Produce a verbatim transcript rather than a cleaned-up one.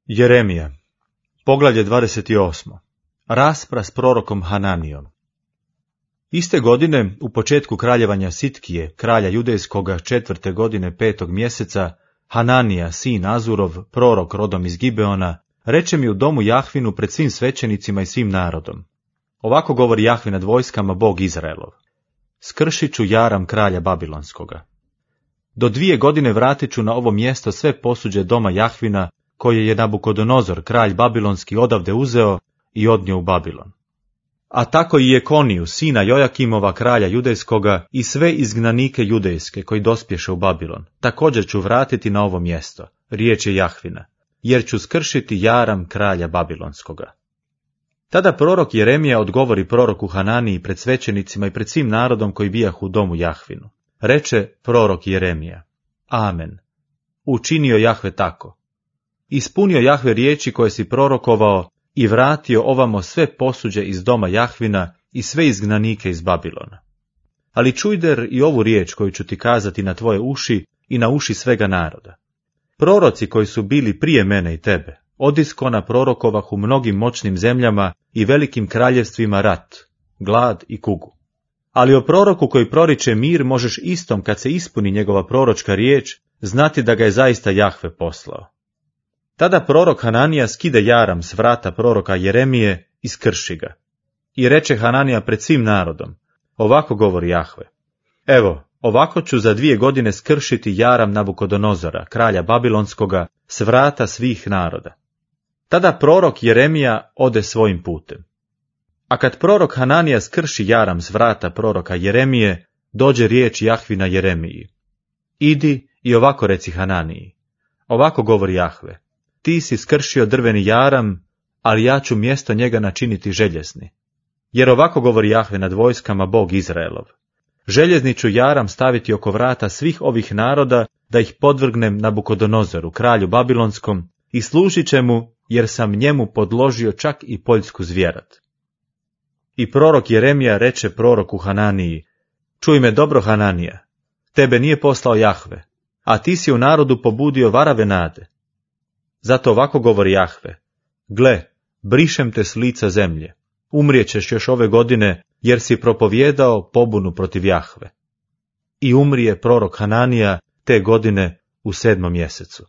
Jeremija, poglavlje dvadeset osam. Raspra s prorokom Hananijom. Iste godine, u početku kraljevanja Sitkije, kralja judejskoga, četvrte godine petog mjeseca, Hananija, sin Azurov, prorok rodom iz Gibeona, reče mi u domu Jahvinu pred svim svećenicima i svim narodom. Ovako govori Jahve nad vojskama, Bog Izraelov. Skršit ću jaram kralja Babilonskoga. Do dvije godine vratit ću na ovo mjesto sve posuđe doma Jahvina, koje je Nabukodonozor, kralj Babilonski, odavde uzeo i odnio u Babilon. A tako i Jekoniju, sina Jojakimova, kralja judejskoga, i sve izgnanike judejske koji dospješe u Babilon, također ću vratiti na ovo mjesto, riječ je Jahvina, jer ću skršiti jaram kralja Babilonskoga. Tada prorok Jeremija odgovori proroku Hananiji pred svećenicima i pred svim narodom koji bijahu u domu Jahvinu. Reče prorok Jeremija: Amen. Učinio Jahve tako. Ispunio Jahve riječi koje si prorokovao i vratio ovamo sve posuđe iz doma Jahvina i sve izgnanike iz Babilona. Ali čujder i ovu riječ koju ću ti kazati na tvoje uši i na uši svega naroda. Proroci koji su bili prije mene i tebe, odiskona prorokovah u mnogim moćnim zemljama i velikim kraljevstvima rat, glad i kugu. Ali o proroku koji proriče mir možeš istom, kad se ispuni njegova proročka riječ, znati da ga je zaista Jahve poslao. Tada prorok Hananija skide jaram s vrata proroka Jeremije i skrši ga. I reče Hananija pred svim narodom: Ovako govori Jahve: Evo, ovako ću za dvije godine skršiti jaram Nabukodonozora, kralja Babilonskoga, s vrata svih naroda. Tada prorok Jeremija ode svojim putem. A kad prorok Hananija skrši jaram s vrata proroka Jeremije, dođe riječ Jahvina Jeremiji: Idi i ovako reci Hananiji: Ovako govori Jahve: Ti si skršio drveni jaram, ali ja ću mjesto njega načiniti željezni. Jer ovako govori Jahve nad vojskama, Bog Izraelov: Željezni ću jaram staviti oko vrata svih ovih naroda, da ih podvrgnem Nabukodonozoru, kralju Babilonskom, i služit će mu, jer sam njemu podložio čak i poljsku zvjerat. I prorok Jeremija reče proroku Hananiji: Čuj me dobro, Hananija, tebe nije poslao Jahve, a ti si u narodu pobudio varave nade. Zato ovako govori Jahve: Gle, brišem te s lica zemlje, umrijećeš još ove godine, jer si propovijedao pobunu protiv Jahve. I umrije prorok Hananija te godine u sedmom mjesecu.